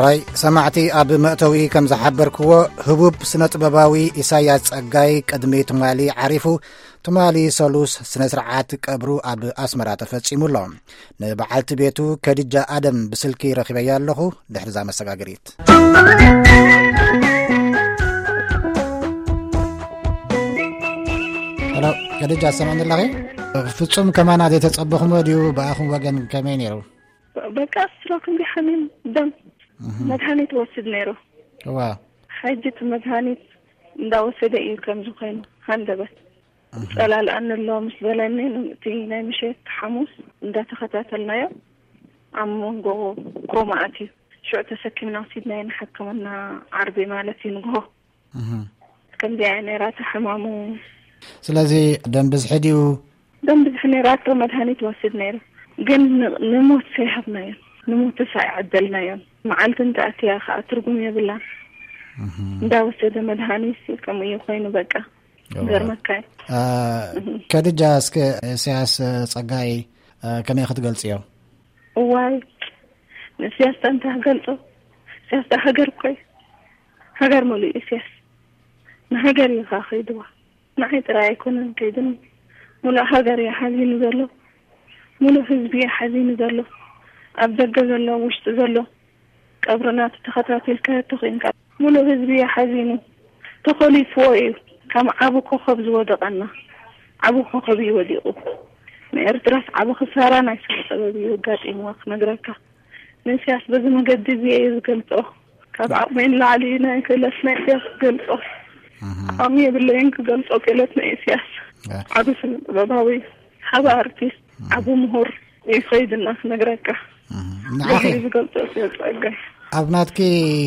ራይ ሰማዕቲ፣ ኣብ መእተዊ ከም ዝሓበርክዎ፣ ህቡብ ስነ ጥበባዊ ኢሳያስ ጸጋይ ቅድሚ ትማሊ ዓሪፉ፣ ትማሊ ሰሉስ ስነ ስርዓት ቀብሩ ኣብ ኣስመራ ተፈጺሙ ኣሎ። ንበዓልቲ ቤቱ ከዲጃ ኣደም ብስልኪ ረኺበያ ኣለኹ። ድሕሪ እዛ መሰጋገሪት። ሄሎ፣ ከዲጃ፣ ትሰምዕኒ ኣለኺ? ፍጹም ከማና ዘይተጸበኹሞ ድዩ? ብኣኹም ወገን ከመይ ነይሩ? በቃ ስትሮክ እንዲ ሓሚም ደም መድሃኒት ወስድ ነይሩ። እዋ። ሕጂ እቲ መድሃኒት እንዳወሰደ እዩ ከምዚ ኮይኑ ሃንደበት። ጸላልኣኒ ኣሎ ምስ በለኒ፣ እቲ ናይ ምሸት ሓሙስ እንዳተኸታተልናዮ ኣብ መንጎ ኮማ ኣትዩ። ሽዑ ተሰኪምና ወሲድናዮ ንሕክምና ዓርቢ ማለት እዩ ንግሆ። እህ። ከምዚኣ እያ ነይራ እታ ሕማሙ። ስለዚ ደም ብዝሒ ድዩ? ደም ብዝሒ ነይራቶ፣ መድሃኒት ወስድ ነይሩ። ግን ን-፣ ንሞት ሰይሃብናዮ። ንሞትስ ኣይዓደልናዮን። መዓልቲ እንተኣትያ ከዓ ትርጉም የብላን። እህ። እንዳወሰደ መድሃኒት ከምኡ እዩ ኮይኑ በቃ። እዋ። ገርመካ እዩ። አ፣ እህ። ከድጃ፣ እስከ ኢሳያስ ጸጋይ፣ አ፣ ከመይ ክትገልጽዮ? እዋይ፣ ንእስያስ እንታይ ክገልጾ? እስያስ ዳ ሃገር እኮ እዩ። ሃገር ሙሉእ እስያስ። ንሃገር እዩ ኸዓ ከይድዋ። ንዓይ ጥራይ ኣይኮነን ከይድኒ። ሙሉእ ሃገር እዩ ሓዚኑ ዘሎ። ሙሉእ ህዝቢ እዩ ሓዚኑ ዘሎ። ኣብ ደገ ዘሎ፣ ኣብ ውሽጢ ዘሎ። ቀብርና ተተኸታቲልካዮ ተኾይንካ። ሙሉእ ህዝቢ እዩ ሓዚኑ። ተኾሊፍዎ እዩ። ከም ዓቢ ኮኸብ ዝወደቐና። ዓቢ ኮኸብ እዩ ወዲቑ። ንኤርትራስ ዓቢ ክሳራ ናይ ስነ ጥበብ እዩ ኣጋጢምዋ ክነግረካ። ንእስያስ በዚ መገዲ እዚ እየ ዝገልጾ። ካብ ዓቕመይ ንላዕሊ ናይ ክእለት ናይ እስያስ ክገልጾ። እህ። ዓቕሚ የብለይን ክገልጾ ክእለት ናይ እስያስ። እ። ዓቢ ስነ ጥበባዊ፣ ዓቢ ኣርቲስት፣ እህ። ዓቢ ምሁር እዩ ከይድና ክነግረካ። እህ። በዚ ንዓኺ እዩ ዝገልጾ እስያስ ጸጋይ። ኣብ ናትኪ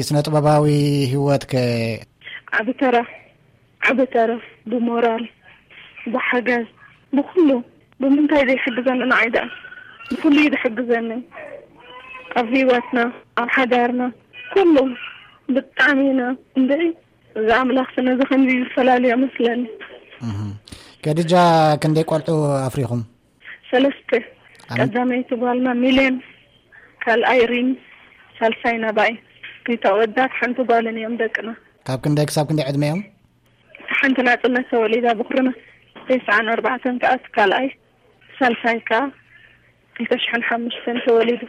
ስነ ጥበባዊ ህይወት ከ? ዓቢ ተራ፣ ዓቢ ተራ ብሞራል፣ ብሓገዝ፣ ብኹሉ። ብምንታይ ዘይሕግዘኒ ንዓይ ደኣ? ብኹሉ እዩ ዝሕግዘኒ። ኣብ ህይወትና፣ ኣብ ሓዳርና፣ ኩሉ ብጣዕሚ ኢና። እንድዒ፣ እዚ ኣምላኽ ስነ እዚ ከምዚ ዝፈላልዮ መስለኒ። እህ። ከድጃ፣ ክንደይ ቆልዑ ኣፍሪኹም? ሰለስተ። ኣም- ቀዳመይቲ ጓልና ሚልዮን፣ ካልኣይ ሪም፣ ሳልሳይ ናባይ። ክልተ ኣወዳት ሓንቲ ጓልን እዮም ደቅና። ካብ ክንደይ ክሳብ ክንደይ ዕድመ እዮም? እታ ሓንቲ ናጽነት ተወሊዳ ብኩርና ተስዓን ኣርባዕተን ከኣ እቲ ካልኣይ፣ ሳልሳይ ከኣ ክልተ ሽሕን ሓሙሽተን ተወሊዱ።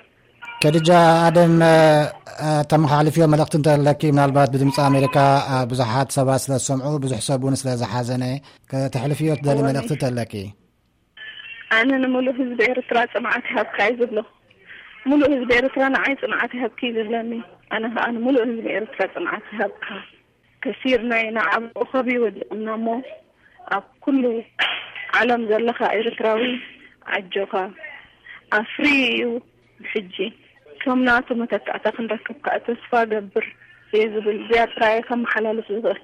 ከድጃ ኣደም፣ እ፣ ተመሓላልፍዮ መልእኽቲ እንተለኪ፣ ምናልባት ብድምፂ ኣሜሪካ፣ እ፣ ብዙሓት ሰባት ስለ ዝሰምዑ፣ ብዙሕ ሰብ እውን ስለ ዝሓዘነ፣ ከተሕልፍዮ ትደሊ እወ። መልእኽቲ እንተለኪ? ኣነ ንምሉእ ህዝቢ ኤርትራ ጽንዓት ይሃብካ እየ ዝብሎ። ምሉእ ህዝቢ ኤርትራ ንዓይ ጽንዓት ይሃብኪ እዩ ዝብለኒ። ኣነ ከኣ ንምሉእ ህዝቢ ኤርትራ ጽንዓት ይሃብካ። ከሲርና ኢና፣ ዓቢ ኮኸብ እዩ ወዲቕና እሞ፣ ኣብ ኩሉ ዓለም ዘለኻ ኤርትራዊ ኣጆኻ። ኣፍሪ እዩ ብሕጂ። ከም ናቱ መተካእታ ክንረክብ ከኣ ተስፋ እገብር እየ ዝብል። እዚኣ ጥራይ እየ ከመሓላልፍ ዝኽእል።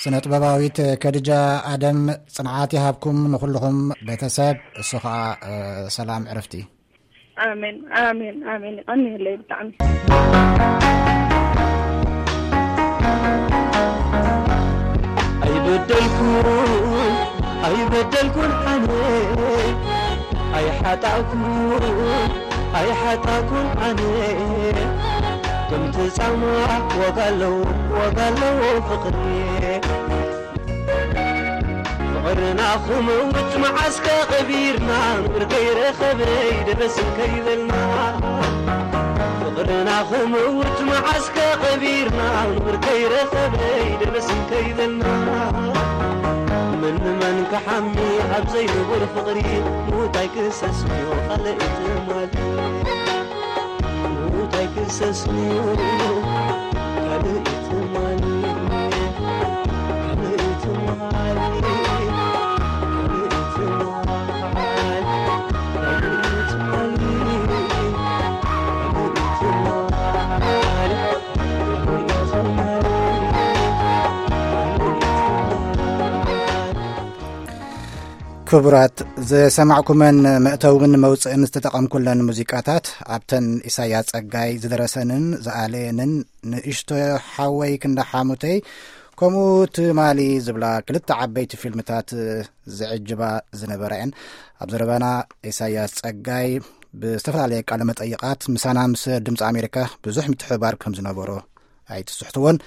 ስነ ጥበባዊት ከድጃ ኣደም፣ ጽንዓት ይሃብኩም ንኹልኹም ቤተሰብ፣ እሱ ኸኣ፣ እ፣ ሰላም ዕረፍቲ። ኣሜን፣ ኣሜን፣ ኣሜን። ይቐንየለይ ብጣዕሚ። ኣይበደልኩን፣ ኣይበደልኩን ኣነ፣ ኣይሓጣእኩን፣ ኣይሓጣእኩን ኣነ። ከምቲ ጻማ ዋጋ ኣለዎ፣ ዋጋ ኣለዎ ፍቕሪ። ፍቕርና ክመውት መዓስከ ቀቢርና፣ ንብር ከይረኸበ ይደበስን ከይበልና። ፍቕርና ክመውት መዓስከ ቀቢርና፣ ንብር ከይረኸበ ይደበስን ከይበልና። መን ንመን ክሓሚ ኣብ ዘይንቡር ፍቕሪ፣ ምዉት ኣይክሰስንዮ ካልእ ትማሊ። ምዉት ኣይክሰስንዮ ካልእ ትማሊ። ክቡራት፣ ዝሰማዕኩመን መእተውን መውፅእን ዝተጠቐምኩለን ሙዚቃታት፣ ኣብተን ኢሳያስ ጸጋይ ዝደረሰንን ዝኣለየንን ንእሽቶ ሓወይ ክንዳ ሓሙተይ፣ ከምኡ ትማሊ ዝብላ ክልተ ዓበይቲ ፊልምታት ዝዕጅባ ዝነበራ እየን። ኣብ ዘረባና ኢሳያስ ጸጋይ ብዝተፈላለየ ቃለ መጠይቓት ምሳና ምስ ድምፂ ኣሜሪካ ብዙሕ ምትሕብባር ከም ዝነበሮ ኣይትስሕትዎን።